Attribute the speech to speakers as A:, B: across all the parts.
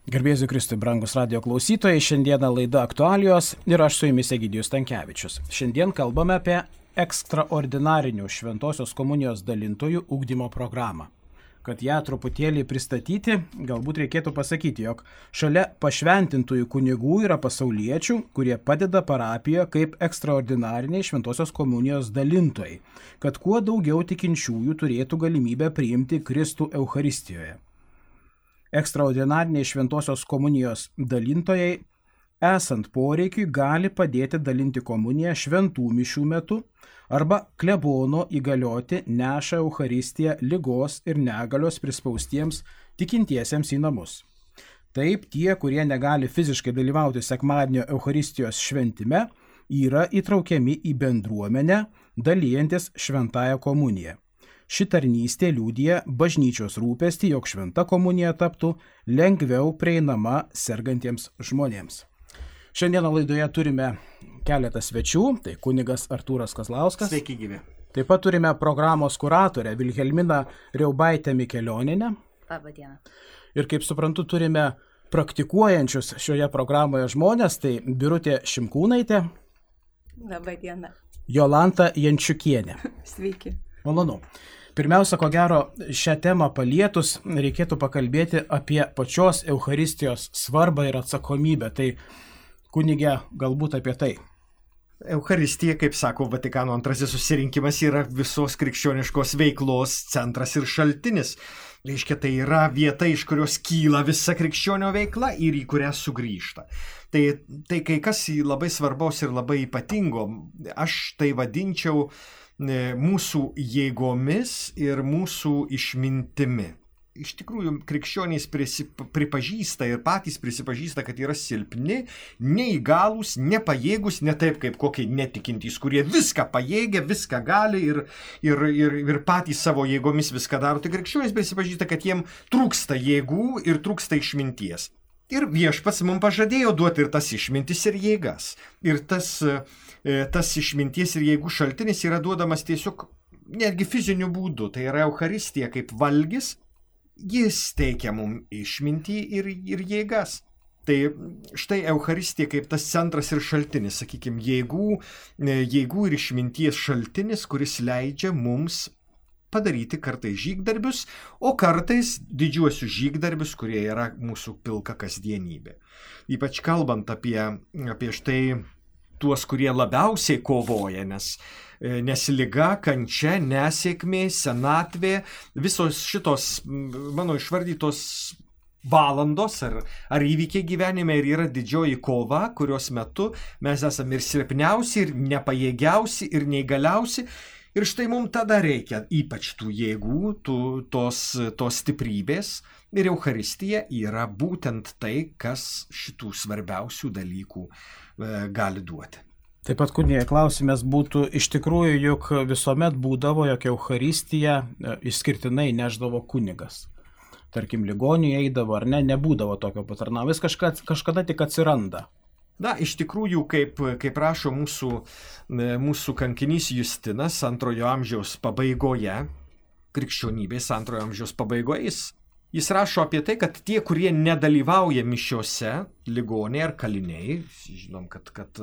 A: Garbėsiu Kristui, brangus radio klausytojai, šiandieną laida aktualijos ir aš su jumis Egidijus Stankevičius. Šiandien kalbame apie ekstraordinarinių šventosios komunijos dalintojų ugdymo programą. Kad ją truputėlį pristatyti, galbūt reikėtų pasakyti, jog šalia pašventintųjų kunigų yra pasauliečių, kurie padeda parapijoje kaip ekstraordinariniai šventosios komunijos dalintojai, kad kuo daugiau tikinčiųjų turėtų galimybę priimti Kristų Eucharistijoje. Ekstraordinariniai šventosios komunijos dalintojai, esant poreikiui, gali padėti dalinti komuniją šventų mišių metu arba klebono įgalioti neša Eucharistiją ligos ir negalios prispaustiems tikintiesiems į namus. Taip, tie, kurie negali fiziškai dalyvauti sekmadienio Eucharistijos šventime, yra įtraukiami į bendruomenę, dalyjantis šventąją komuniją. Ši tarnystė liudija bažnyčios rūpestį, jog šventa komunija taptų lengviau prieinama sergantiems žmonėms. Šiandieną laidoje turime keletą svečių, tai kunigas Artūras Kazlauskas.
B: Sveiki gyvi.
A: Taip pat turime programos kuratorę Vilhelminą Riaubaitę Mikelionienę.
C: Labą dieną.
A: Ir kaip suprantu, turime praktikuojančius šioje programoje žmonės, tai Birutė Šimkūnaitė.
C: Labą dieną.
A: Jolanta Jančiukienė.
C: Sveiki.
A: Malonu. Pirmiausia, ko gero, šią temą palietus reikėtų pakalbėti apie pačios Eucharistijos svarbą ir atsakomybę. Tai kunige, galbūt apie tai.
B: Eucharistija, kaip sako Vatikano antrasis susirinkimas, yra visos krikščioniškos veiklos centras ir šaltinis. Reiškia, tai yra vieta, iš kurios kyla visa krikščionio veikla ir į kurią sugrįžta. Tai kai kas labai svarbaus ir labai ypatingo, aš tai vadinčiau mūsų jėgomis ir mūsų išmintimi. Iš tikrųjų, krikščionys pripažįsta ir patys prisipažįsta, kad yra silpni, neįgalūs, nepajėgus, ne taip kaip kokie netikintys, kurie viską pajėgia, viską gali ir patys savo jėgomis viską daro. Tai krikščionys prisipažįsta, kad jiem trūksta jėgų ir trūksta išminties. Ir viešpats mums pažadėjo duoti ir tas išmintis ir jėgas. Ir tas išminties ir jėgų šaltinis yra duodamas tiesiog netgi fiziniu būdu. Tai yra Eucharistija kaip valgis, jis teikia mums išmintį ir jėgas. Tai štai Eucharistija kaip tas centras ir šaltinis, sakykime, jėgų ir išminties šaltinis, kuris leidžia mums padaryti kartais žygdarbius, o kartais didžiuosius žygdarbius, kurie yra mūsų pilka kasdienybė. Ypač kalbant apie štai tuos, kurie labiausiai kovoja, nes liga, kančia, nesėkmė, senatvė, visos šitos mano išvardytos valandos ar įvykiai gyvenime ir yra didžioji kova, kurios metu mes esame ir silpniausi, ir nepajėgiausi, ir neįgaliausi. Ir štai mums tada reikia ypač tų jėgų, tos stiprybės. Ir Eucharistija yra būtent tai, kas šitų svarbiausių dalykų gali duoti.
A: Taip pat, kunige, klausimas būtų iš tikrųjų, juk visuomet būdavo, jog Eucharistiją išskirtinai neždavo kunigas. Tarkim, ligoniui eidavo ar ne, nebūdavo tokio patarnavimo, jis kažkada tik atsiranda.
B: Na, iš tikrųjų, kaip rašo mūsų kankinys Justinas antrojo amžiaus pabaigoje, krikščionybės antrojo amžiaus pabaigoje, jis rašo apie tai, kad tie, kurie nedalyvauja mišiose, ligoniai ar kaliniai, žinom, kad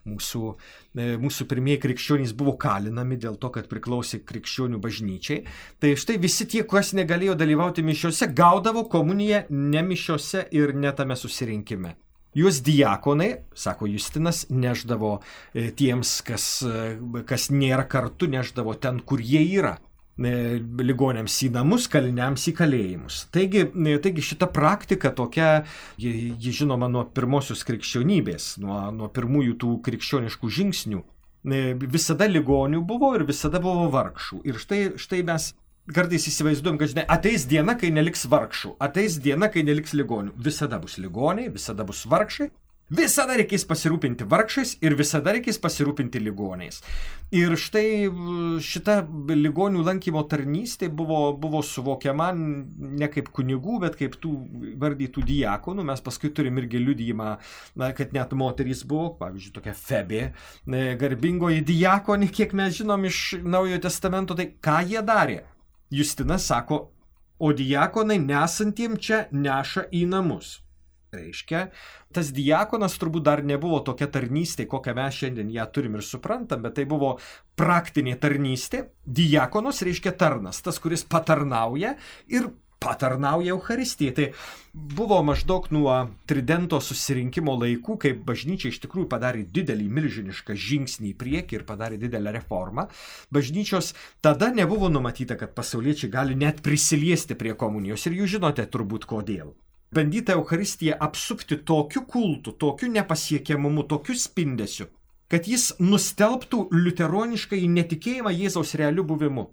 B: mūsų pirmieji krikščionys buvo kalinami dėl to, kad priklausė krikščionių bažnyčiai, tai štai visi tie, kas negalėjo dalyvauti mišiose, gaudavo komuniją ne mišiose ir ne tame susirinkime. Juos diakonai, sako Justinas, neždavo tiems, kas nėra kartu, neždavo ten, kur jie yra. Ligoniams į namus, kaliniams į kalėjimus. Taigi šita praktika tokia, ji žinoma nuo pirmosios krikščionybės, nuo pirmųjų tų krikščioniškų žingsnių. Visada ligonių buvo ir visada buvo vargšų. Ir štai mes kartais įsivaizduojam, kad ateis diena, kai neliks vargšų, ateis diena, kai neliks ligonių. Visada bus ligoniai, visada bus vargšai, visada reikės pasirūpinti vargšais ir visada reikės pasirūpinti ligoniais. Ir štai šita ligonių lankymo tarnystė buvo suvokiama ne kaip kunigų, bet kaip tų vardytų diakonų. Mes paskui turim irgi liudijimą, kad net moterys buvo, pavyzdžiui, tokia Febė, garbingoji diakonė, kiek mes žinom iš Naujojo testamento, tai ką jie darė? Justinas sako, o diakonai nesantiem čia neša į namus. Reiškia, tas diakonas turbūt dar nebuvo tokia tarnystė, kokią mes šiandien ją turim ir suprantam, bet tai buvo praktinė tarnystė. Diakonas reiškia tarnas, tas, kuris patarnauja ir patarnauja Eucharistijai. Tai buvo maždaug nuo Tridento susirinkimo laikų, kai bažnyčia iš tikrųjų padarė didelį, milžinišką žingsnį į priekį ir padarė didelę reformą. Bažnyčios tada nebuvo numatyta, kad pasauliečiai gali net prisiliesti prie komunijos ir jūs žinote turbūt kodėl. Bandyta Eucharistiją apsupti tokiu kultu, tokiu nepasiekiamumu, tokiu spindesiu, kad jis nustelbtų liuteroniškai netikėjimą Jėzaus realiu buvimu.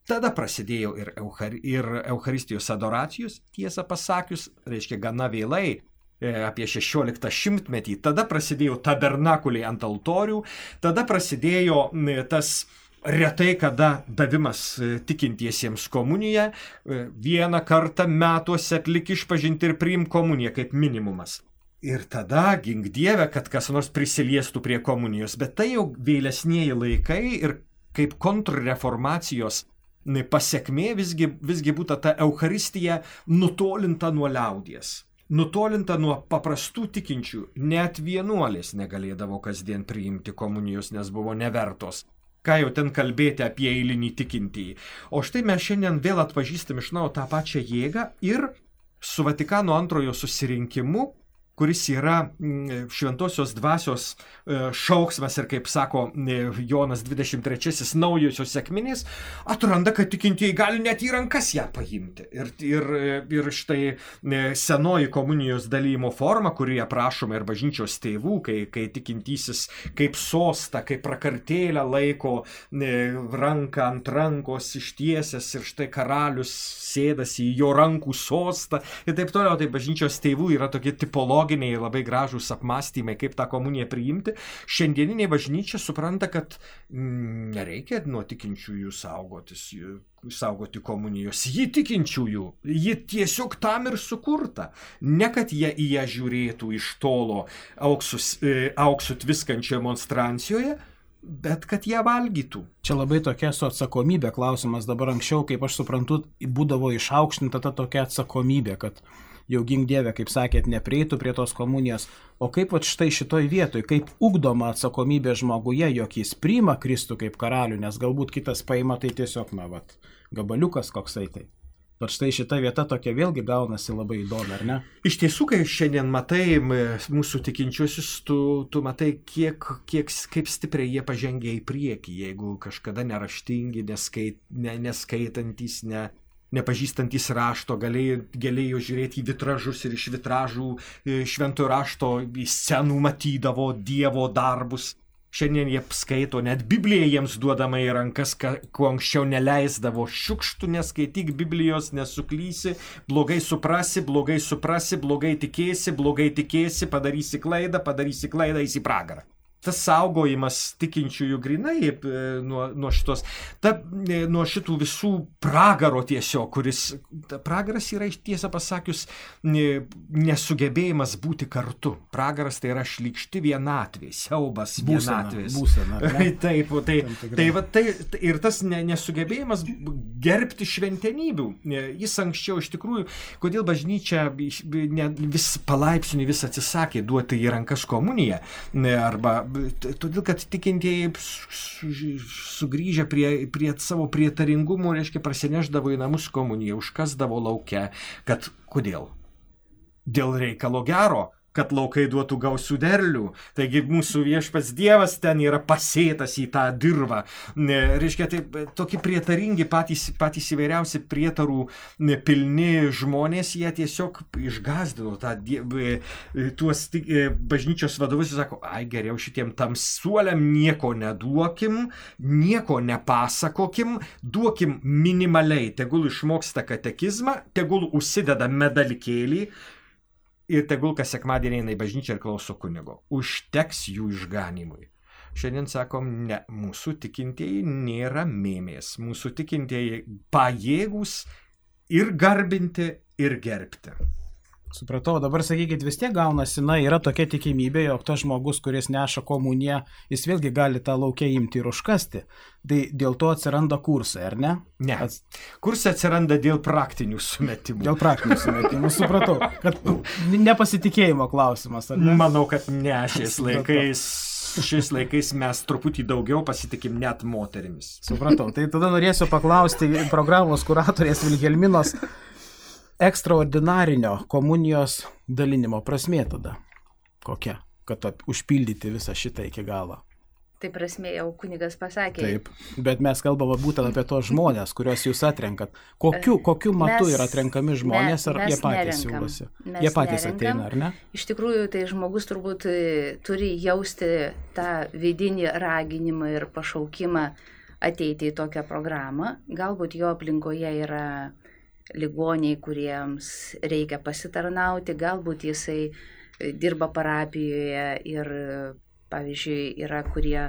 B: Tada prasidėjo ir Eucharistijos adoracijos, tiesą pasakius, reiškia gana vėlai, apie 16 šimtmetį. Tada prasidėjo tabernakuliai ant altorių, tada prasidėjo tas retai kada davimas tikintiesiems komuniją, vieną kartą metuose atlik išpažinti ir priimk komuniją kaip minimumas. Ir tada, gink Dieve, kad kas nors prisiliestų prie komunijos, bet tai jau vėlesnieji laikai ir kaip kontrreformacijos pasekmė visgi būtų ta Eucharistija nutolinta nuo liaudies. Nutolinta nuo paprastų tikinčių, net vienuolės negalėdavo kasdien priimti komunijos, nes buvo nevertos. Ką jau ten kalbėti apie eilinį tikintįjį. O štai mes šiandien vėl atpažįstam iš naujo tą pačią jėgą ir su Vatikano antrojo susirinkimu, kuris yra šventosios dvasios šauksmas ir, kaip sako Jonas 23, naujosios sekminės, atranda, kad tikintieji gali net į rankas ją paimti. Ir štai senoji komunijos dalymo forma, kuri aprašoma ir bažnyčios tėvų, kai tikintysis kaip sostą, kaip prakartėlę laiko ranką ant rankos ištiesęs ir štai karalius sėdasi į jo rankų sostą ir taip toliau. Tai bažnyčios tėvų yra tokie tipologiniai labai gražūs apmąstymai, kaip tą komuniją priimti. Šiandieninė bažnyčia supranta, kad nereikia nuo tikinčiųjų saugoti komunijos. Ji tikinčiųjų, ji tiesiog tam ir sukurta. Ne kad jie į ją žiūrėtų iš tolo auksų tviskančioje monstrancijoje, bet kad ją valgytų.
A: Čia labai tokia su atsakomybė klausimas. Dabar anksčiau, kaip aš suprantu, būdavo išaukštinta ta tokia atsakomybė, kad jau gink Dieve, kaip sakėt, neprieitų prie tos komunijos. O kaip štai šitoj vietoj, kaip ugdoma atsakomybė žmoguje, jog jis priima Kristų kaip karalių, nes galbūt kitas paima tai tiesiog, gabaliukas koksai tai. Bet štai šita vieta tokia vėlgi gaunasi labai įdomi, ar ne?
B: Iš tiesų, kai šiandien matai mūsų tikinčiuosius, tu matai, kaip stipriai jie pažengia į priekį, jeigu kažkada neraštingi, neskaitantys, nepažįstantys rašto, galėjo žiūrėti į vitražus ir iš vitražų šventojo rašto į scenų matydavo Dievo darbus. Šiandien jie skaito, net Biblija jiems duodama į rankas, kuo anksčiau neleisdavo. Šiukštų neskaityk Biblijos, nesuklysi, blogai suprasi, blogai tikėsi, padarysi klaidą, eisi į pragarą. Tas saugojimas tikinčiųjų grinai nuo šitų visų pragaro tiesiog, kuris pragaras yra, tiesą pasakius, nesugebėjimas būti kartu. Pragaras tai yra šlykšti vienatvė, siaubas vienatvės. Tai ir tas nesugebėjimas gerbti šventenybių. Jis anksčiau iš tikrųjų, kodėl bažnyčia vis palaipsniui vis atsisakė duoti į rankas komuniją, arba todėl, kad tikintieji sugrįžę prie savo prietaringumo, reiškia, prasineždavo į namus komuniją, užkasdavo lauke. Kad kodėl? Dėl reikalo gero, kad laukai duotų gausių derlių. Taigi mūsų viešpats Dievas ten yra pasėtas į tą dirvą. Reiškia, tai tokie prietaringi, patys įvairiausi prietarų pilni žmonės, jie tiesiog išgazdino tuos bažnyčios vadovus ir sako, geriau šitiem tamsuoliam nieko neduokim, nieko nepasakokim, duokim minimaliai, tegul išmoksta katekizmą, tegul užsideda medalikėlį, ir tegul kas sekmadienį eina į bažnyčią ir klauso kunigo. Užteks jų išganimui. Šiandien sakom, ne, mūsų tikintieji nėra mėmės. Mūsų tikintieji pajėgūs ir garbinti, ir gerbti.
A: Supratau, dabar sakykit, vis tiek gaunasi, yra tokia tikimybė, jog tas žmogus, kuris neša komuniją, jis vėlgi gali tą laukę imti ir užkasti. Tai dėl to atsiranda kursai, ar ne?
B: Ne. Kursai atsiranda dėl praktinių sumetimų.
A: Dėl praktinių sumetimų, supratau, kad nepasitikėjimo klausimas, ar ne?
B: Manau, kad ne, šiais laikais mes truputį daugiau pasitikim net moterimis.
A: Supratau, tai tada norėsiu paklausti programos kuratorės Vilhelminos ekstraordinarinio komunijos dalinimo prasmė tada. Kokia? Kad užpildyti visą šitą iki galo.
C: Tai prasmė jau kunigas pasakė.
A: Taip, bet mes kalbame būtent apie tos žmonės, kuriuos jūs atrenkat. Kokiu matu yra atrenkami žmonės, ar jie patys siūlosi? Jie patys ateina, ar ne?
C: Iš tikrųjų, tai žmogus turbūt turi jausti tą vidinį raginimą ir pašaukimą ateiti į tokią programą. Galbūt jo aplinkoje yra ligoniai, kuriems reikia pasitarnauti, galbūt jisai dirba parapijoje ir, pavyzdžiui, yra, kurie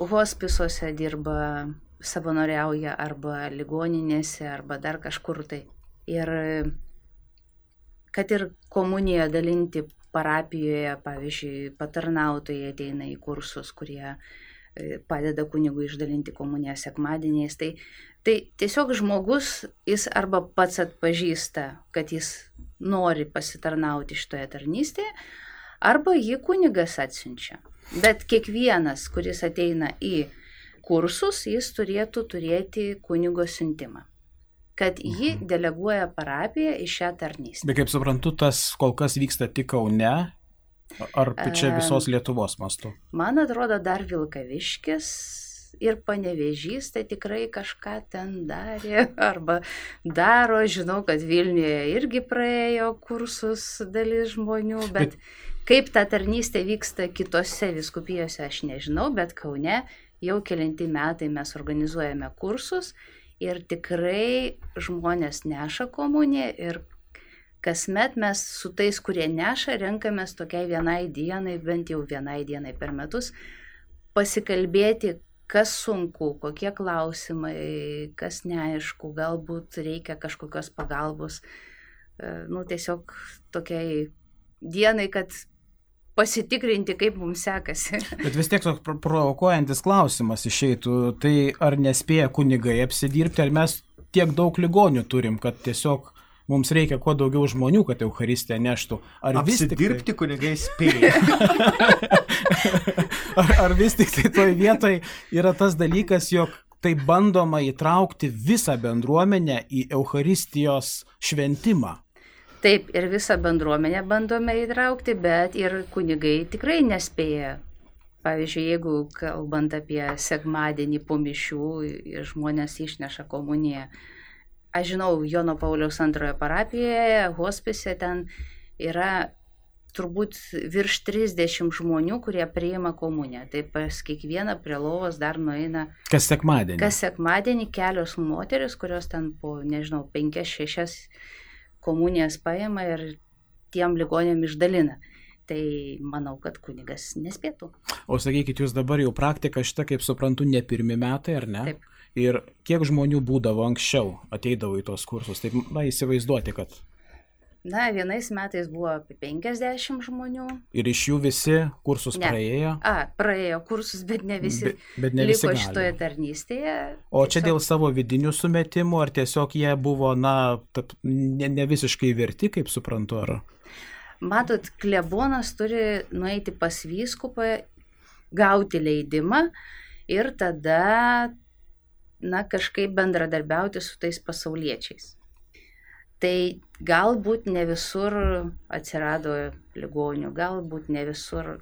C: hospisuose dirba, savanoriauja arba ligoninėse, arba dar kažkur tai. Ir kad ir komuniją dalinti parapijoje, pavyzdžiui, patarnautojai ateina į kursus, kurie padeda kunigui išdalinti komuniją sekmadieniais. Tai tiesiog žmogus, jis arba pats atpažįsta, kad jis nori pasitarnauti šitoje tarnystėje, arba jį kunigas atsiunčia. Bet kiekvienas, kuris ateina į kursus, jis turėtų turėti kunigo siuntimą, kad jį deleguoja parapija į šią tarnystę.
A: Bet kaip suprantu, tas kol kas vyksta tik Kaune, ar čia visos Lietuvos mastu?
C: Man atrodo, dar Vilkaviškis ir Panevėžys, tai tikrai kažką ten darė arba daro. Žinau, kad Vilniuje irgi praėjo kursus dalis žmonių, bet kaip ta tarnystė vyksta kitose vyskupijose, aš nežinau, bet Kaune jau kelinti metai mes organizuojame kursus ir tikrai žmonės neša komuniją ir kasmet mes su tais, kurie neša, renkamės tokiai vienai dienai, bent jau vienai dienai per metus, pasikalbėti, kas sunku, kokie klausimai, kas neaišku, galbūt reikia kažkokios pagalbos. Tiesiog tokiai dienai, kad pasitikrinti, kaip mums sekasi.
A: Bet vis tiek toks provokuojantis klausimas išeitų, tai ar nespėja kunigai apsidirbti, ar mes tiek daug ligonių turim, kad tiesiog mums reikia kuo daugiau žmonių, kad Eucharistiją neštų.
B: Apsidirbti kunigai spėja.
A: Ar vis tik tai toj vietoj yra tas dalykas, jog tai bandoma įtraukti visą bendruomenę į Eucharistijos šventimą?
C: Taip, ir visą bendruomenę bandome įtraukti, bet ir kunigai tikrai nespėja. Pavyzdžiui, jeigu kalbant apie sekmadienį po mišių, žmonės išneša komuniją. Aš žinau, Jono Pauliaus antrojo parapijoje, hospise, ten yra turbūt virš 30 žmonių, kurie priima komuniją. Tai pas kiekvieną prie lovos dar nueina.
A: Kas sekmadienį?
C: Kas sekmadienį kelios moteris, kurios ten po, 5-6 komunijas paima ir tiem ligonėm išdalina. Tai manau, kad kunigas nespėtų.
A: O sakykit, jūs dabar jau praktika šitą, kaip suprantu, ne pirmi metai, ar ne?
C: Taip.
A: Ir kiek žmonių būdavo anksčiau, ateidavo į tos kursus? Taip, įsivaizduoti, kad...
C: Vienais metais buvo apie 50 žmonių.
A: Ir iš jų visi kursus praėjo?
C: Praėjo kursus, bet ne visi,
A: bet ne visi
C: liko šitoje tarnystėje.
A: O čia dėl savo vidinių sumetimų, ar tiesiog jie buvo, ne visiškai verti, kaip suprantu, ar...
C: Matot, klebonas turi nueiti pas vyskupą, gauti leidimą ir tada, kažkaip bendradarbiauti su tais pasauliečiais. Tai galbūt ne visur atsirado ligonių, galbūt ne visur,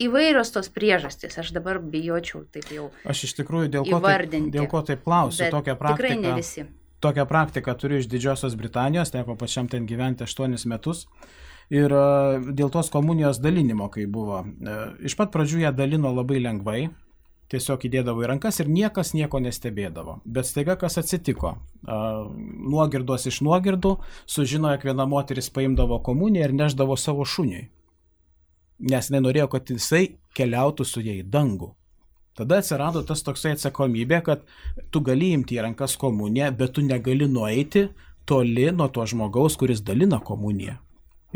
C: įvairios tos priežastys, aš dabar bijočiau taip jau įvardinti.
A: Aš iš tikrųjų dėl ko taip klausiu,
C: tikrai ne visi.
A: Tokią praktiką turiu iš Didžiosios Britanijos, teko pačiam ten gyventi 8 metus. Ir dėl tos komunijos dalinimo, kai buvo, iš pat pradžių ją dalino labai lengvai, tiesiog įdėdavo į rankas ir niekas nieko nestebėdavo. Bet staiga kas atsitiko? Nuogirdos iš nuogirdų sužinojo, jog viena moteris paimdavo komuniją ir neždavo savo šuniui. Nes nenorėjo, kad jisai keliautų su jai į dangų. Tada atsirado tas toksai atsakomybė, kad tu gali imti į rankas komuniją, bet tu negali nueiti toli nuo to žmogaus, kuris dalina komuniją.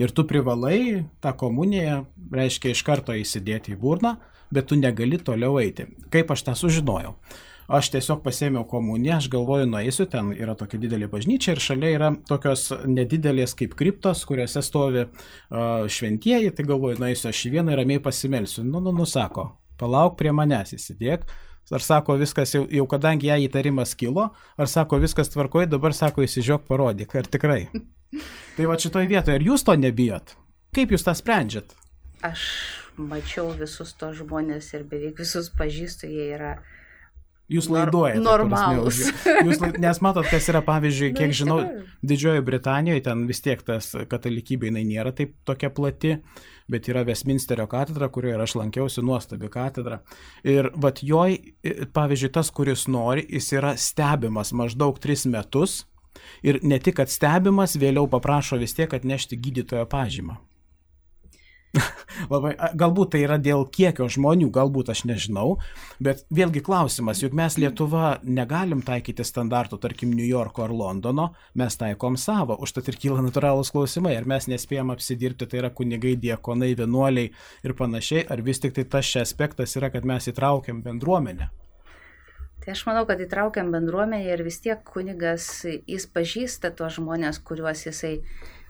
A: Ir tu privalai tą komuniją, reiškia, iš karto įsidėti į burną, bet tu negali toliau eiti. Kaip aš tą sužinojau? Aš tiesiog pasėmiau komuniją, aš galvoju, nueisiu, ten yra tokia didelė bažnyčia ir šalia yra tokios nedidelės kaip kriptos, kuriuose stovi šventieji, tai galvoju, nueisiu aš į vieną ir ramiai pasimelsiu. Sako, palauk prie manęs, įsidėk. Ar sako, viskas jau kadangi ją įtarimas kilo, ar sako, viskas tvarkoja, dabar sako, įsižiok, parodyk, ar tikrai. Tai va šitoj vietoje, ar jūs to nebijot? Kaip jūs tą sprendžiat?
C: Aš mačiau visus tos žmonės ir beveik visus pažįstu, jie yra
A: Jūs laiduojate.
C: Normalus.
A: Nes matot, kas yra, pavyzdžiui, kiek žinau, Didžiojoje Britanijoje, ten vis tiek tas katalikybė, jinai nėra taip tokia plati, bet yra Westminsterio katedra, kurioje aš lankiausi, nuostabi katedra. Ir vat joj, pavyzdžiui, tas, kuris nori, jis yra stebimas maždaug 3 metus ir ne tik, kad stebimas, vėliau paprašo vis tiek atnešti gydytojo pažymą. Labai, galbūt tai yra dėl kiekio žmonių, galbūt aš nežinau, bet vėlgi klausimas, juk mes Lietuva negalim taikyti standartų, tarkim, New Yorko ar Londono, mes taikom savo, užtat ir kyla natūralūs klausimai, ar mes nespėjom apsidirbti, tai yra kunigai, diakonai, vienuoliai ir panašiai, ar vis tik tai tas šia aspektas yra, kad mes įtraukiam bendruomenę.
C: Tai aš manau, kad įtraukiam bendruomenę ir vis tiek kunigas, jis pažįsta tuos žmonės, kuriuos jisai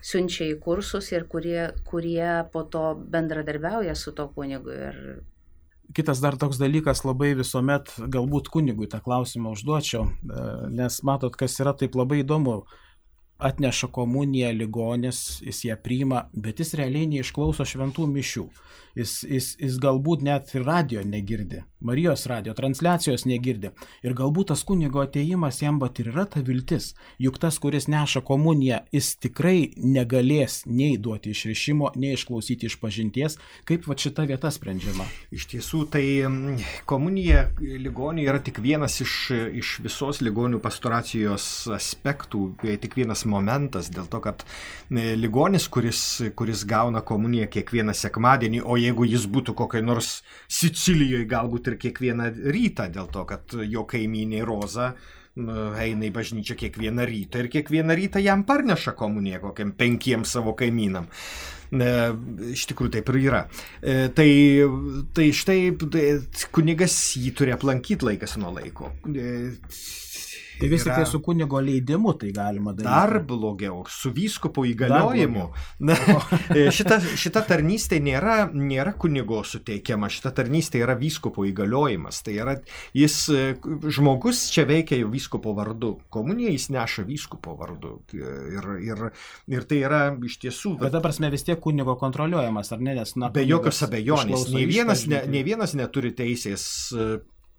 C: siunčia į kursus ir kurie po to bendradarbiauja su to kunigu.
A: Kitas dar toks dalykas, labai visuomet galbūt kunigui tą klausimą užduočiau, nes matot, kas yra taip labai įdomu. Atneša komuniją ligonis, jis ją priima, bet jis realiai neišklauso šventų mišių. Jis galbūt net ir radio negirdi, Marijos radio transliacijos negirdi. Ir galbūt tas kunigo atėjimas jam bet ir yra ta viltis. Juk tas, kuris neša komuniją, jis tikrai negalės nei duoti išrišimo, nei išklausyti išpažinties. Kaip va šita vieta sprendžiama?
B: Iš tiesų, tai komunija ligoniui yra tik vienas iš visos ligonių pastoracijos aspektų, tik vienas momentas, dėl to, kad ligonis, kuris gauna komuniją kiekvieną sekmadienį, o jeigu jis būtų kokiai nors Sicilijoje, galbūt ir kiekvieną rytą, dėl to, kad jo kaimynė Roza eina į bažnyčią kiekvieną rytą ir kiekvieną rytą jam parneša komuniją kokiam 5 savo kaimynam. Iš tikrųjų taip ir yra. Tai štai kunigas jį turi aplankyti laikas nuo laiko.
A: Tai vis tik tai su kunigo leidimu tai galima daryti.
B: Dar blogiau, su vyskupo įgaliojimu. Šita tarnystė nėra kunigo suteikiama, šita tarnystė yra vyskupo įgaliojimas. Tai yra, žmogus čia veikia jau vyskupo vardu. Komuniją jis neša vyskupo vardu. Ir tai yra iš tiesų...
A: Bet ta prasme vis tiek kunigo kontroliuojamas, ar ne? Nes,
B: be jokios abejonės. Nei vienas neturi teisės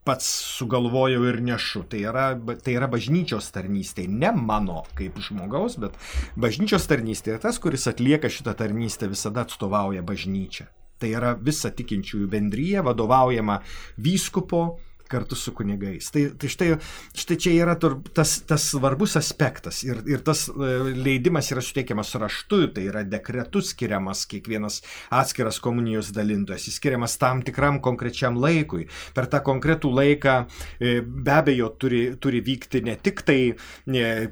B: pats sugalvojau ir nešu. Tai yra bažnyčios tarnystė, ne mano kaip žmogaus, bet bažnyčios tarnystė. Ir tas, kuris atlieka šitą tarnystę, visada atstovauja bažnyčią. Tai yra visa tikinčiųjų bendryja, vadovaujama vyskupo kartu su kunigais. Tai štai čia yra tas svarbus aspektas ir tas leidimas yra suteikiamas raštu, tai yra dekretu skiriamas kiekvienas atskiras komunijos dalintojas, jis skiriamas tam tikram konkrečiam laikui. Per tą konkretų laiką be abejo turi vykti ne tik tai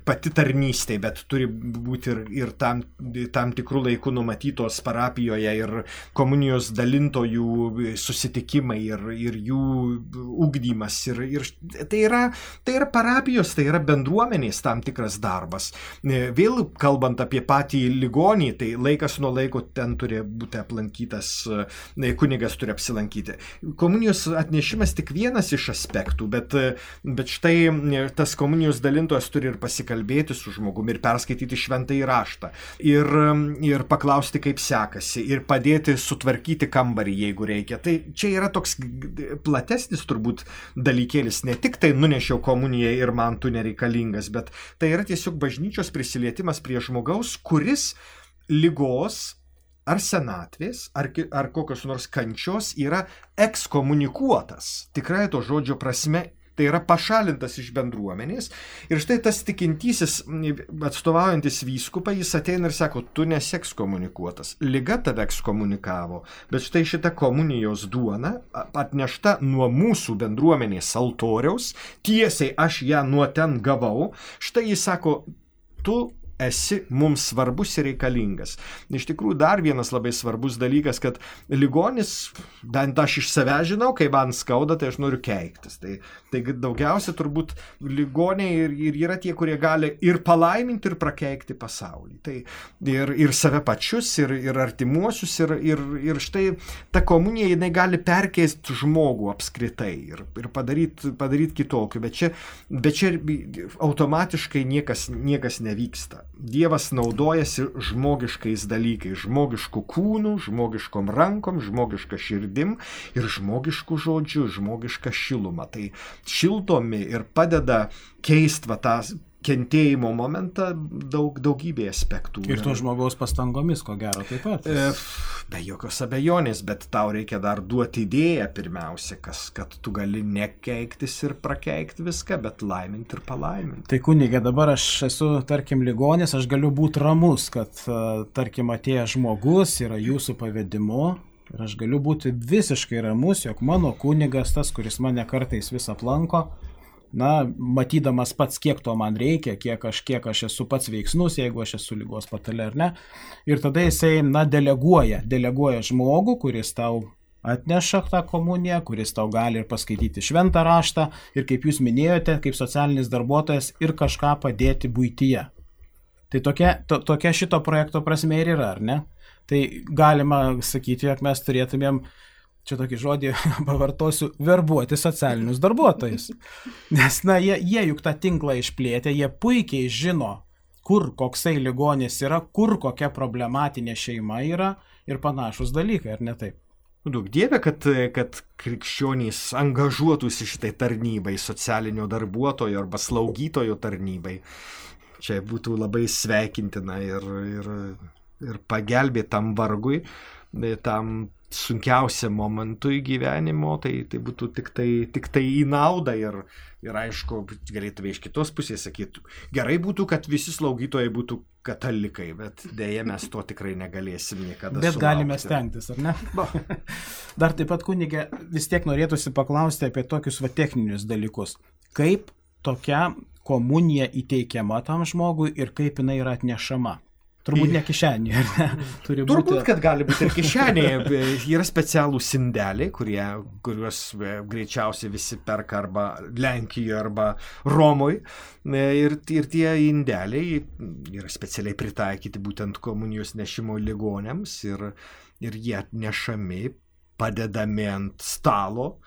B: pati tarnystė, bet turi būti ir tam tikrų laikų numatytos parapijoje ir komunijos dalintojų susitikimai ir jų ugdymas. Ir tai yra parapijos, tai yra bendruomenės tam tikras darbas. Vėl kalbant apie patį ligonį, tai laikas nuo laiko ten turi būti aplankytas, kunigas turi apsilankyti. Komunijos atnešimas tik vienas iš aspektų, bet štai tas komunijos dalintojas turi ir pasikalbėti su žmogumi ir perskaityti šventąjį raštą ir paklausti, kaip sekasi, ir padėti sutvarkyti kambarį, jeigu reikia. Tai čia yra toks platesnis turbūt dalykėlis, ne tik tai nunešiau komuniją ir man tu nereikalingas, bet tai yra tiesiog bažnyčios prisilietimas prie žmogaus, kuris ligos ar senatvės, ar kokios nors kančios yra ekskomunikuotas, tikrai to žodžio prasme. Tai yra pašalintas iš bendruomenės. Ir štai tas tikintysis, atstovaujantis vyskupą, jis ateina ir sako, tu nesi ekskomunikuotas. Liga tave ekskomunikavo, bet štai šita komunijos duona atnešta nuo mūsų bendruomenės altoriaus, tiesiai aš ją nuo ten gavau. Štai jis sako, tu esi mums svarbus ir reikalingas. Iš tikrųjų, dar vienas labai svarbus dalykas, kad ligonis, bent aš iš savęs žinau, kai man skauda, tai aš noriu keiktis. Tai daugiausia turbūt ligoniai ir yra tie, kurie gali ir palaiminti, ir prakeikti pasaulį. Tai ir save pačius, ir artimuosius, ir štai ta komunija, jinai gali perkeisti žmogų apskritai ir padaryti kitokiu. Bet čia automatiškai niekas nevyksta. Dievas naudojasi žmogiškais dalykais, žmogiškų kūnų, žmogiškom rankom, žmogiška širdim ir žmogiškų žodžių, žmogiška šiluma. Tai šildomi ir padeda keisti tą kentėjimo momentą daugybė aspektų.
A: Ir to žmogaus pastangomis, ko gero, taip pat.
B: Be jokios abejonės, bet tau reikia dar duoti idėją pirmiausia, kad tu gali nekeiktis ir prakeikti viską, bet laiminti ir palaiminti.
A: Tai kunige, dabar aš esu, tarkim, ligonis, aš galiu būti ramus, kad, tarkim, atėjęs žmogus yra jūsų pavedimu ir aš galiu būti visiškai ramus, jog mano kunigas, tas, kuris mane kartais vis aplanko, matydamas pats, kiek to man reikia, kiek aš esu pats veiksnus, jeigu aš esu ligos patale ar ne. Ir tada jisai, deleguoja žmogų, kuris tau atneša tą komuniją, kuris tau gali ir paskaityti šventą raštą ir, kaip jūs minėjote, kaip socialinis darbuotojas ir kažką padėti buityje. Tai tokia šito projekto prasme ir yra, ar ne? Tai galima sakyti, jog mes turėtumėm, čia tokį žodį pavartosiu, verbuoti socialinius darbuotojus. Nes, jie juk tą tinklą išplėtė, jie puikiai žino, kur koksai ligonis yra, kur kokia problematinė šeima yra ir panašus dalykai, ar ne taip?
B: Daug dieve, kad krikščionys angažuotųsi šitai tarnybai, socialinio darbuotojo arba slaugytojo tarnybai. Čia būtų labai sveikintina ir pagelbėti tam vargui, tam sunkiausiam momentui gyvenimo, tai būtų tik tai į naudą ir aišku, galėtume iš kitos pusės sakyti, gerai būtų, kad visi slaugytojai būtų katalikai, bet dėja mes to tikrai negalėsim niekada sulaukti.
A: Bet galime stengtis, ar ne? Dar taip pat, kunige, vis tiek norėtųsi paklausti apie tokius techninius dalykus. Kaip tokia komunija įteikiama tam žmogui ir kaip jinai yra atnešama? Turbūt ne kišenėje, ar ne?
B: Turbūt, kad gali būti ir kišenėje. Yra specialūs indeliai, kuriuos greičiausiai visi perka arba Lenkijoje, arba Romoje. Ir tie indeliai yra specialiai pritaikyti būtent komunijos nešimo ligoniams ir jie atnešami, padedami ant stalo,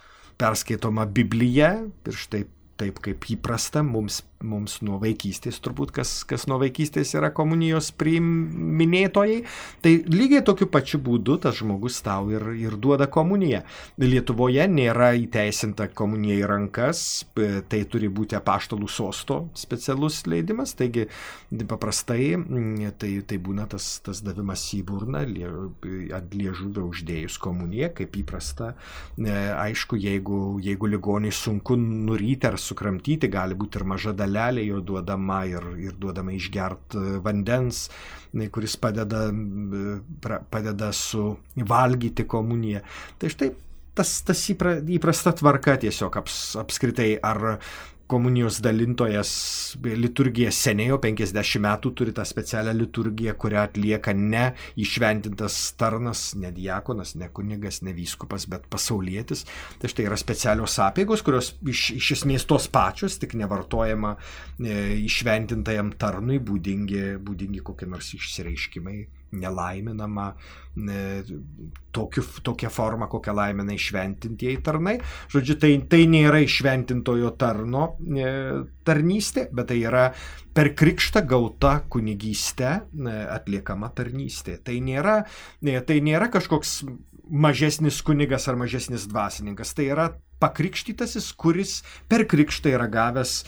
B: perskaitoma Biblija ir štai taip kaip įprasta mums nuo vaikystės, turbūt kas nuo vaikystės yra komunijos priiminėtojai, tai lygiai tokiu pačiu būdu tas žmogus tau ir duoda komuniją. Lietuvoje nėra įteisinta komunija į rankas, tai turi būti apaštalų sosto specialus leidimas, taigi paprastai tai būna tas davimas į burną, ant liežuvio uždėjus komuniją, kaip įprasta. Aišku, jeigu ligoniai sunku nuryti ar sukramtyti, gali būti ir maža dalelė jo duodama ir duodama išgert vandens, kuris padeda suvalgyti komuniją. Tai štai tas įprasta tvarka tiesiog apskritai, ar komunijos dalintojas liturgija senėjo 50 metų turi tą specialią liturgiją, kurią atlieka ne įšventintas tarnas, ne diakonas, ne kunigas, ne vyskupas, bet pasaulietis. Tai štai yra specialios apeigos, kurios iš esmės tos pačios, tik nevartojama įšventintajam tarnui būdingi kokie nors išsireiškimai, nelaiminama tokia forma, kokią laimina įšventintieji tarnai. Žodžiu, tai nėra įšventintojo tarno tarnystė, bet tai yra per krikštą gauta kunigystė atliekama tarnystė. Tai nėra kažkoks mažesnis kunigas ar mažesnis dvasininkas. Tai yra pakrikštytasis, kuris per krikštą yra gavęs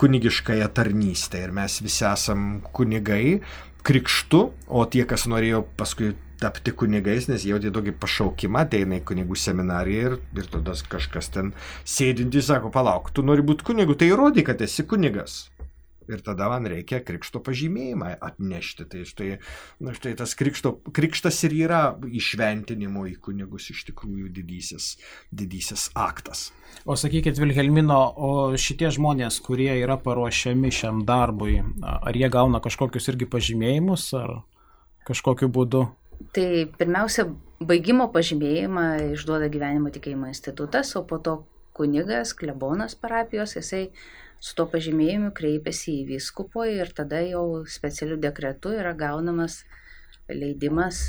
B: kunigiškąją tarnystę. Ir mes visi esam kunigai krikštu, o tie, kas norėjo paskui tapti kunigais, nes jau tai tokį pašaukimą, ateina į kunigų seminariją ir tada kažkas ten sėdinti sako, palauk, tu nori būti kunigu, tai įrodyk, kad esi kunigas. ir tada man reikia krikšto pažymėjimą atnešti. Tai štai tas krikštas ir yra įšventinimo į kunigus iš tikrųjų didysis aktas.
A: O sakykit, Vilhelmino, o šitie žmonės, kurie yra paruošiami šiam darbui, ar jie gauna kažkokius irgi pažymėjimus, ar kažkokiu būdu?
C: Tai pirmiausia, baigimo pažymėjimą išduoda Gyvenimo tikėjimo institutas, o po to kunigas, klebonas parapijos, jisai su to pažymėjimu kreipiasi į vyskupo ir tada jau specialiu dekretu yra gaunamas leidimas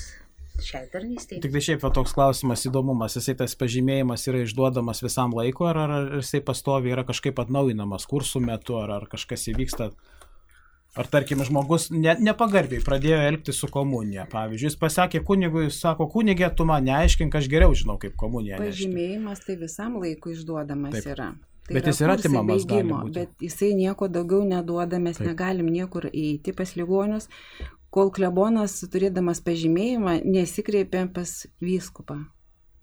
C: šiai tarnystei.
A: Tik tai šiaip toks klausimas, įdomumas, jisai tas pažymėjimas yra išduodamas visam laiku, ar jisai pastoviai yra kažkaip atnaujinamas kursų metu, ar kažkas įvyksta? Ar tarkim žmogus nepagarbiai pradėjo elgtis su komunija, pavyzdžiui, jis pasakė kunigui, sako, kunigė, tu man neaiškink, aš geriau žinau, kaip komunija nešti.
D: Pažymėjimas tai visam laikui išduodamas Taip. Yra. Tai
A: bet jis yra atimamas, gali būti.
D: Bet jisai nieko daugiau neduoda, mes negalim niekur eiti pas ligonius, kol klebonas, turėdamas pažymėjimą, nesikreipia pas vyskupą.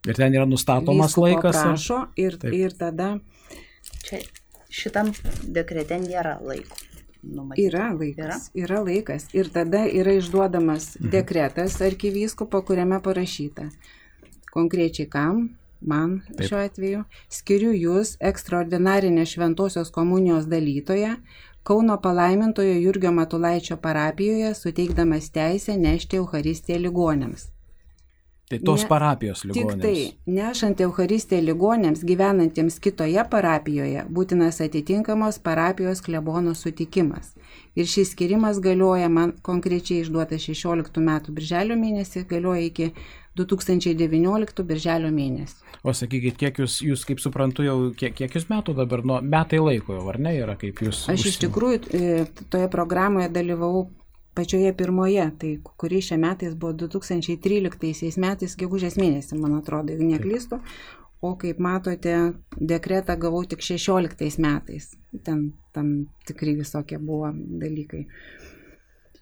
A: Ir ten yra nustatomas
D: Vyskupo
A: laikas.
D: Prašo ir tada...
C: Čia šitam dekrete nėra laiko. Numatyta.
D: Yra laikas. Ir tada yra išduodamas dekretas arkivyskupo, kuriame parašyta konkrečiai kam, man šiuo atveju, skiriu jūs ekstraordinarinę šventosios komunijos dalytoją Kauno palaimintojo Jurgio Matulaičio parapijoje, suteikdamas teisę nešti Eucharistiją ligoniams.
A: Tai tos parapijos ligonėms.
D: Tik tai, nešant Eucharistiją ligonėms gyvenantiems kitoje parapijoje, būtinas atitinkamos parapijos klebono sutikimas. Ir šis skirimas galioja, man konkrečiai išduota 16 metų birželio mėnesį, galioja iki 2019 birželio mėnesį.
A: O sakykit, kiek jūs kaip suprantu, jau kiek jūs metų dabar, metai laiko jau, ar ne, yra kaip jūs?
D: Aš iš tikrųjų toje programoje dalyvavau pačioje pirmoje, tai kuri šiais metais buvo 2013 metais, gegužės mėnesį, man atrodo, jeigu neklystu, o kaip matote, dekretą gavau tik 16 metais. Ten tam tikrai visokie buvo dalykai.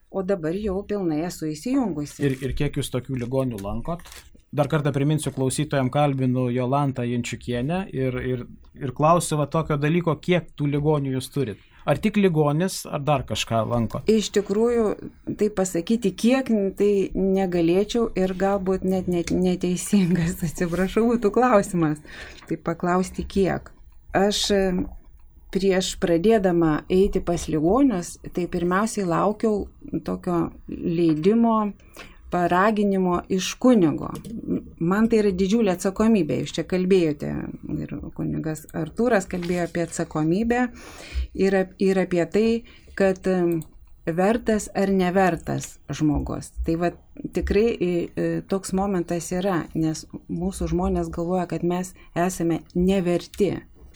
D: O dabar jau pilnai esu įsijungusi.
A: Ir kiek jūs tokių ligonių lankot? Dar kartą priminsiu klausytojams, kalbinu Jolantą Jančiukienę ir klausiu tokio dalyko, kiek tų ligonių jūs turit. Ar tik ligonis, ar dar kažką lanko?
D: Iš tikrųjų, tai pasakyti kiek, tai negalėčiau ir galbūt net neteisingas, atsiprašau, būtų klausimas. Tai paklausti kiek. Aš prieš pradėdama eiti pas ligonius, tai pirmiausiai laukiau tokio leidimo, paraginimo iš kunigo. Man tai yra didžiulė atsakomybė. Jūs čia kalbėjote ir kunigas Artūras kalbėjo apie atsakomybę ir apie tai, kad vertas ar nevertas žmogus. Tai tikrai toks momentas yra, nes mūsų žmonės galvoja, kad mes esame neverti.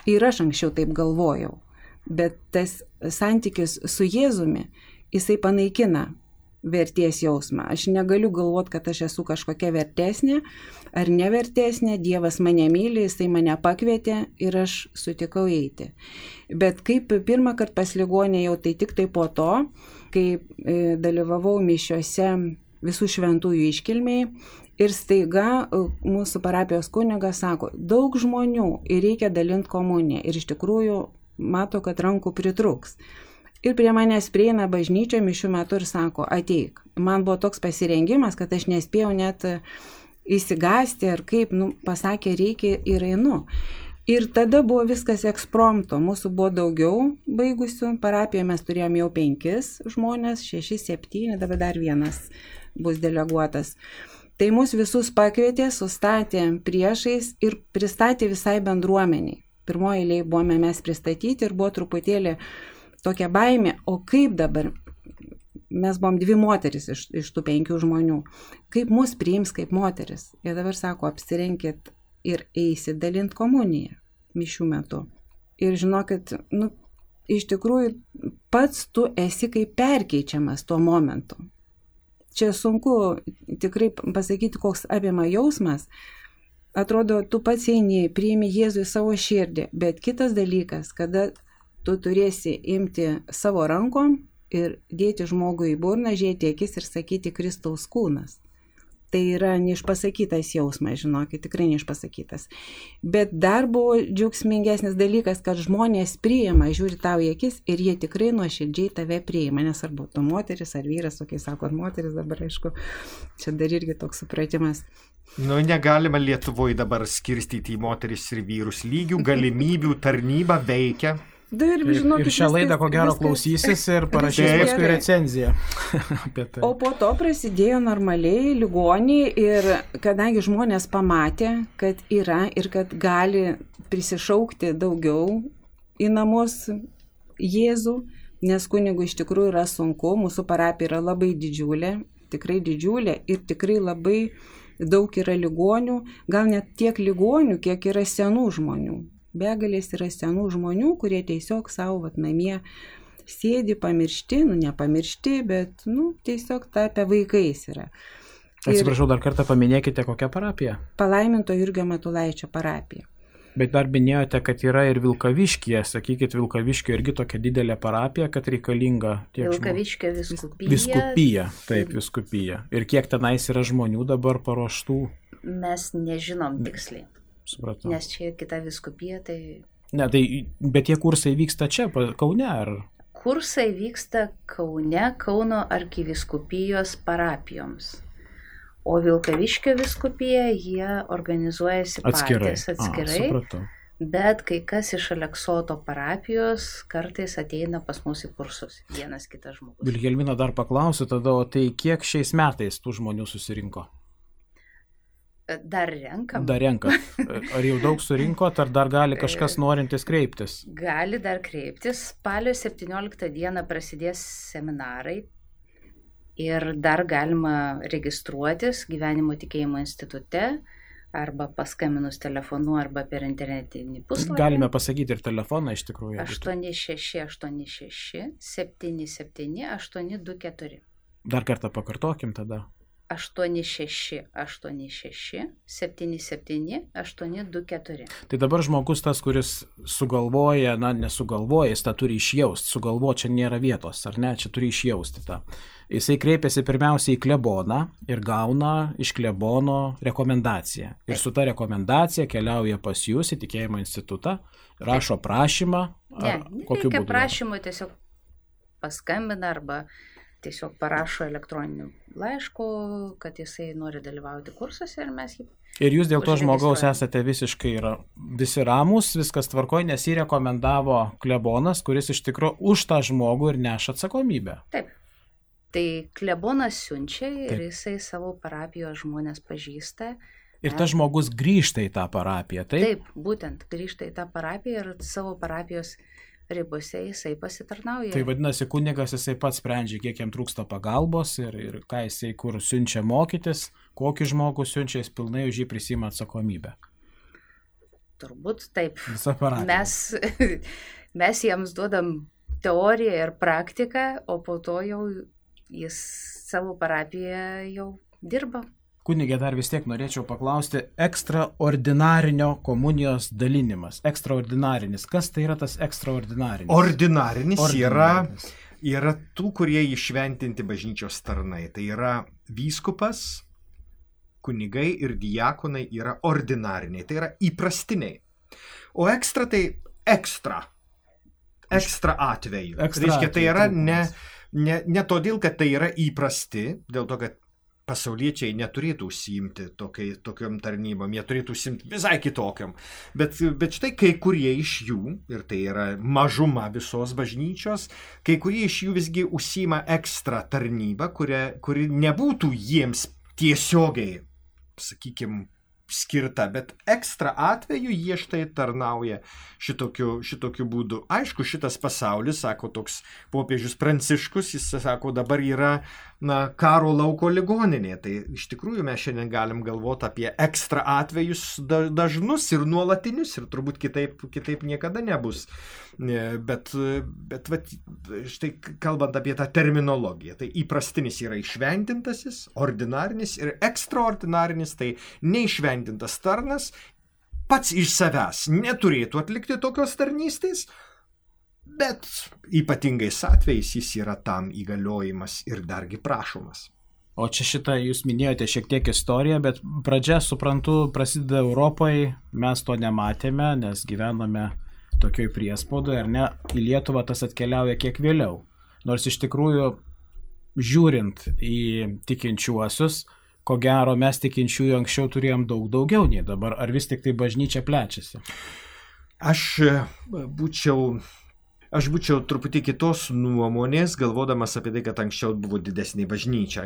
D: Ir aš anksčiau taip galvojau. Bet tas santykis su Jėzumi, jisai panaikina vertės jausmą. Aš negaliu galvoti, kad aš esu kažkokia vertesnė ar nevertesnė. Dievas mane myli, jisai mane pakvietė ir aš sutikau eiti. Bet kaip pirmą kartą pas ligonę jau tai tik tai po to, kai dalyvavau mišiuose visų šventųjų iškilmei ir staiga mūsų parapijos kunigas sako, daug žmonių ir reikia dalinti komuniją. Ir iš tikrųjų mato, kad rankų pritrūks. Ir prie manęs prieina bažnyčio mišių metu ir sako, ateik. Man buvo toks pasirengimas, kad aš nespėjau net įsigąsti ar kaip, pasakė, reikia ir einu. Ir tada buvo viskas ekspromto. Mūsų buvo daugiau baigusių. Parapijoje mes turėjom jau 5 žmonės, 6, 7, dabar dar vienas bus deleguotas. Tai mus visus pakvietė, sustatė priešais ir pristatė visai bendruomeniai. Pirmoje eilėje buvome mes pristatyti ir buvo truputėlį tokia baimė, o kaip dabar, mes buvom 2 moteris iš tų 5 žmonių, kaip mus priims kaip moteris. Ir dabar sako, apsirenkit ir eisit dalint komuniją mišių metu. Ir žinokit, iš tikrųjų pats tu esi kaip perkeičiamas tuo momentu. Čia sunku tikrai pasakyti, koks apima jausmas. Atrodo, tu pats eini, priimi Jėzų į savo širdį, bet kitas dalykas, kada tu turėsi imti savo rankom ir dėti žmogui į burną, žiūrėti akis ir sakyti Kristaus kūnas. Tai yra neišpasakytas jausmas, žinokit, tikrai neišpasakytas. Bet dar buvo džiaugsmingesnis dalykas, kad žmonės priima, žiūri tau į akis ir jie tikrai nuoširdžiai tave priima, nesvarbu, tu moteris ar vyras, tokiai sako, moteris dabar, aišku, čia dar irgi toks supratimas.
B: Negalima Lietuvoje dabar skirstyti į moteris ir vyrus lygių, galimybių tarnyba veikia.
A: Ir šią laidą ko gero klausysis ir parašys paskui recenziją apie tai.
D: O po to prasidėjo normaliai ligoniai ir kadangi žmonės pamatė, kad yra ir kad gali prisišaukti daugiau į namus Jėzų, nes kunigui iš tikrųjų yra sunku, mūsų parapija yra labai didžiulė, tikrai didžiulė ir tikrai labai daug yra ligonių, gal net tiek ligonių, kiek yra senų žmonių. Begalės yra senų žmonių, kurie tiesiog savo namie sėdi pamiršti, nepamiršti, bet tiesiog tapę vaikais yra.
A: Atsiprašau, dar kartą paminėkite, kokią parapiją?
D: Palaiminto Jurgio Matulaičio parapija.
A: Bet dar minėjote, kad yra ir Vilkaviškyje, sakykit, Vilkaviškio irgi tokia didelė parapija, kad reikalinga tiek žmonių.
C: Vilkaviškio viskupija.
A: Viskupija, taip, viskupija. Ir kiek tenais yra žmonių dabar paruoštų?
C: Mes nežinom tiksliai.
A: Supratau.
C: Nes čia kita viskupija, tai...
A: Ne, tai, bet tie kursai vyksta čia, Kaune, ar?
C: Kursai vyksta Kaune, Kauno arkiviskupijos parapijoms. O Vilkaviškio viskupija, jie organizuojasi patys atskirai. Bet kai kas iš Aleksoto parapijos kartais ateina pas mus į kursus, vienas kitas žmogus.
A: Vilhelmina, dar paklausiu tada, o tai kiek šiais metais tų žmonių susirinko?
C: Dar renkam.
A: Dar renkam. Ar jau daug surinkot, ar dar gali kažkas norintis kreiptis?
C: Gali dar kreiptis. Spalio 17 dieną prasidės seminarai ir dar galima registruotis Gyvenimo tikėjimo institute arba paskambinus telefonu arba per internetinį puslapį.
A: Galime pasakyti ir telefoną iš tikrųjų.
C: 8686 77 824.
A: Dar kartą pakartokim tada.
C: 8686 77 824.
A: Tai dabar žmogus tas, kuris sugalvoja, nesugalvoja, jis tą turi išjausti. Sugalvo čia nėra vietos, ar ne? Čia turi išjausti tą. Jisai kreipiasi pirmiausiai į kleboną ir gauna iš klebono rekomendaciją. Ir su ta rekomendacija keliauja pas jūs į tikėjimo institutą, rašo prašymą.
C: Nereikia prašymo, tiesiog paskambina arba tiesiog parašo elektroniniu laišku, kad jisai nori dalyvauti kursuose ir mes jį...
A: Ir jūs dėl to žmogaus esate visi ramūs, viskas tvarkoj, nes jį rekomendavo klebonas, kuris iš tikrųjų už tą žmogų ir neša atsakomybę.
C: Taip. Tai klebonas siunčia ir jisai savo parapijos žmonės pažįsta.
A: Ir tas žmogus grįžta į tą parapiją, taip?
C: Taip, būtent grįžta į tą parapiją ir savo parapijos ribose jisai pasitarnauja.
A: Tai vadinasi, kunigas jisai pats sprendžia, kiek jam trūksta pagalbos ir ką jisai kur siunčia mokytis, kokį žmogų siunčia, jis pilnai už jį prisima atsakomybę.
C: Turbūt taip.
A: Visa parapija.
C: Mes jiems duodam teoriją ir praktiką, o po to jau jis savo parapiją jau dirba.
A: Kunigė, dar vis tiek norėčiau paklausti, ekstraordinarinio komunijos dalinimas. Ekstraordinarinis. Kas tai yra tas ekstraordinarinis?
B: Ordinarinis yra tų, kurie įšventinti bažnyčios tarnai. Tai yra vyskupas, kunigai ir diakonai yra ordinariniai. Tai yra įprastiniai. O ekstra tai ekstra atveju. Reiškia, tai yra ne todėl, kad tai yra įprasti, dėl to, kad pasauliečiai neturėtų užsiimti tokiom tarnybom, jie turėtų užsiimti visai kitokiam. Bet štai kai kurie iš jų, ir tai yra mažuma visos bažnyčios, kai kurie iš jų visgi užsiima ekstra tarnybą, kuri nebūtų jiems tiesiogiai, sakykime, skirta, bet ekstra atveju jie štai tarnauja šitokiu būdu. Aišku, šitas pasaulis, sako toks popiežius Pranciškus, jis sako, dabar yra karo lauko ligoninė. Tai iš tikrųjų mes šiandien galim galvoti apie ekstra atvejus dažnus ir nuolatinius ir turbūt kitaip niekada nebus. Bet štai kalbant apie tą terminologiją, tai įprastinis yra išventintasis, ordinarinis ir ekstraordinarinis, tai neišventintas tarnas pats iš savęs neturėtų atlikti tokios tarnystės, bet ypatingais atvejais jis yra tam įgaliojimas ir dargi prašomas.
A: O čia šitą jūs minėjote šiek tiek istoriją, bet pradžia, suprantu, prasideda Europoje, mes to nematėme, nes gyvename tokioj priespaudoje, ar ne, į Lietuvą tas atkeliauja kiek vėliau. Nors iš tikrųjų, žiūrint į tikinčiuosius, ko gero mes tikinčiųjų anksčiau turėjom daug daugiau nei dabar, ar vis tik tai bažnyčia plečiasi?
B: Aš būčiau truputį kitos nuomonės, galvodamas apie tai, kad anksčiau buvo didesnė bažnyčia.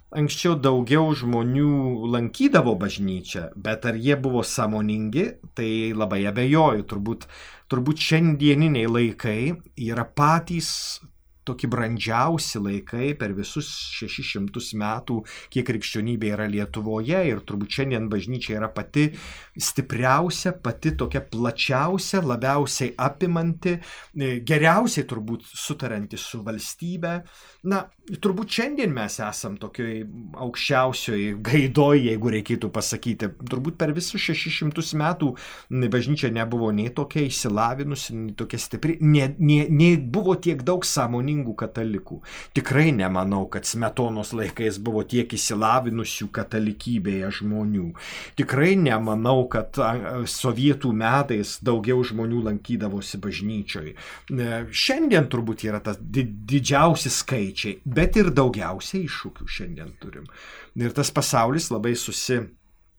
B: Anksčiau daugiau žmonių lankydavo bažnyčią, bet ar jie buvo sąmoningi, tai labai abejoju. Turbūt šiandieniniai laikai yra patys tokie brandžiausi laikai per visus 600 metų, kiek krikščionybė yra Lietuvoje, ir turbūt šiandien bažnyčia yra pati stipriausia, pati tokia plačiausia, labiausiai apimanti, geriausiai turbūt sutaranti su valstybe. Na, turbūt šiandien mes esam tokioj aukščiausioj gaidoj, jeigu reikėtų pasakyti. Turbūt per visus 600 metų bažnyčia nebuvo nei tokia išsilavinusi, nei tokia stipri, nei buvo tiek daug sąmoningų katalikų. Tikrai nemanau, kad Smetonos laikais buvo tiek išsilavinusių katalikybėje žmonių. Tikrai nemanau, kad sovietų metais daugiau žmonių lankydavosi bažnyčioj. Šiandien turbūt yra tas didžiausi skaičiai, bet ir daugiausiai iššūkių šiandien turim. Ir tas pasaulis labai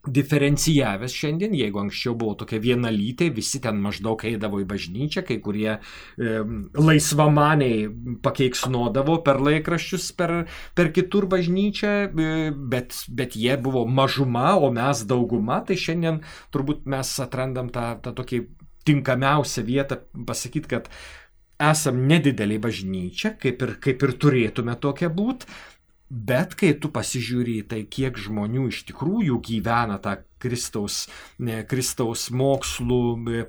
B: diferencijavęs šiandien, jeigu anksčiau buvo tokia vienalytė, visi ten maždaug eidavo į bažnyčią, kai kurie laisvamaniai pakeiksnodavo per laikraščius, per kitur bažnyčią, bet jie buvo mažuma, o mes dauguma, tai šiandien turbūt mes atrandam tą tokį tinkamiausią vietą pasakyti, kad esam nedidelė bažnyčia, kaip ir turėtume tokia būti, bet kai tu pasižiūri tai, kiek žmonių iš tikrųjų gyvena tą Kristaus mokslų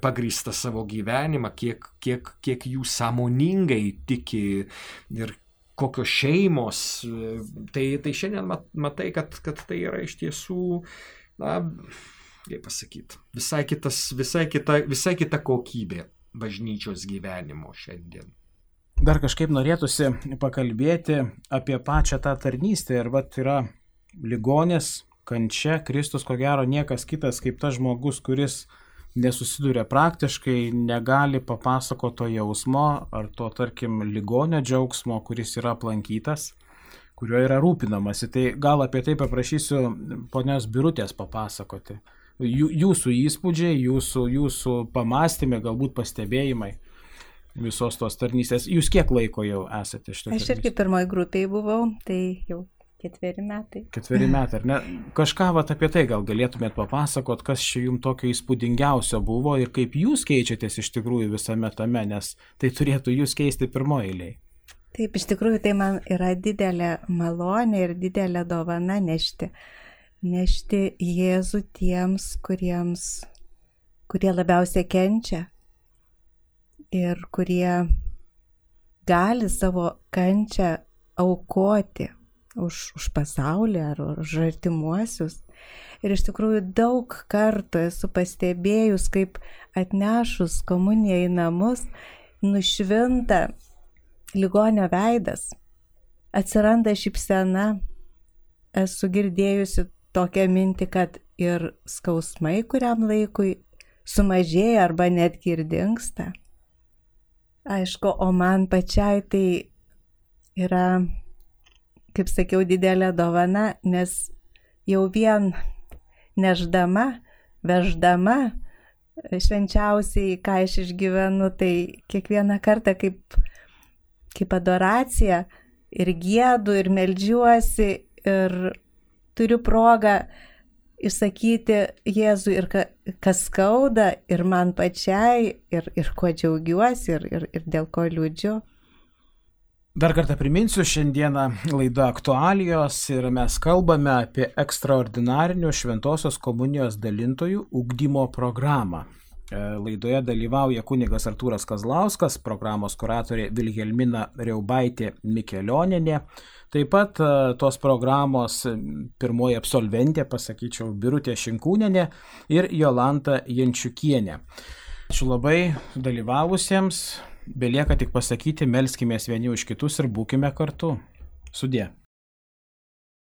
B: pagrįstą savo gyvenimą, kiek jų sąmoningai tiki ir kokios šeimos, tai šiandien matai, kad tai yra iš tiesų, na, kaip pasakyti, visai kita kokybė bažnyčios gyvenimo šiandien.
A: Dar kažkaip norėtųsi pakalbėti apie pačią tą tarnystę. Ir vat yra ligonės, kančia, Kristus, ko gero niekas kitas kaip tas žmogus, kuris nesusiduria praktiškai, negali papasakoti to jausmo ar to, tarkim, ligonio džiaugsmo, kuris yra aplankytas, kuriuo yra rūpinamasi. Tai gal apie tai paprašysiu ponios Birutės papasakoti. Jūsų įspūdžiai, jūsų pamastymai, galbūt pastebėjimai visos tos tarnystės. Jūs kiek laiko jau esate šitą tarnystę?
E: Aš irgi pirmoji grupėje buvau, tai jau 4 metai. 4
A: metai, ar ne? Kažką apie tai gal galėtumėt papasakot, kas čia jums tokio įspūdingiausio buvo ir kaip jūs keičiatės iš tikrųjų visame tame, nes tai turėtų jūs keisti pirmoji eilėje.
E: Taip, iš tikrųjų tai man yra didelė malonė ir didelė dovana nešti Jėzų tiems, kurie labiausiai kenčia ir kurie gali savo kančią aukoti už pasaulį ar už artimuosius. Ir iš tikrųjų daug kartų esu pastebėjus, kaip atnešus komuniją į namus nušvinta ligonio veidas, atsiranda šypsena. Esu girdėjusi tokią mintį, kad ir skausmai kuriam laikui sumažėja arba netgi ir dingsta. Aišku, o man pačiai tai yra, kaip sakiau, didelė dovana, nes jau vien veždama švenčiausiai, ką aš išgyvenu, tai kiekvieną kartą kaip adoracija ir giedu, ir meldžiuosi, ir turiu progą išsakyti Jėzui ir kas skauda, ir man pačiai, ir kuo džiaugiuosi, ir dėl ko liūdžiu.
A: Dar kartą priminsiu, šiandieną laida Aktualijos ir mes kalbame apie ekstraordinarinių Šventosios komunijos dalintojų ugdymo programą. Laidoje dalyvauja kunigas Artūras Kazlauskas, programos kuratorė Vilhelmina Riaubaitė Mikelionienė. Taip pat tos programos pirmoji absolventė, pasakyčiau, Birutė Šinkūnienė ir Jolanta Jančiukienė. Ačiū labai dalyvavusiems, belieka tik pasakyti, melskimės vieni už kitus ir būkime kartu. Sudie.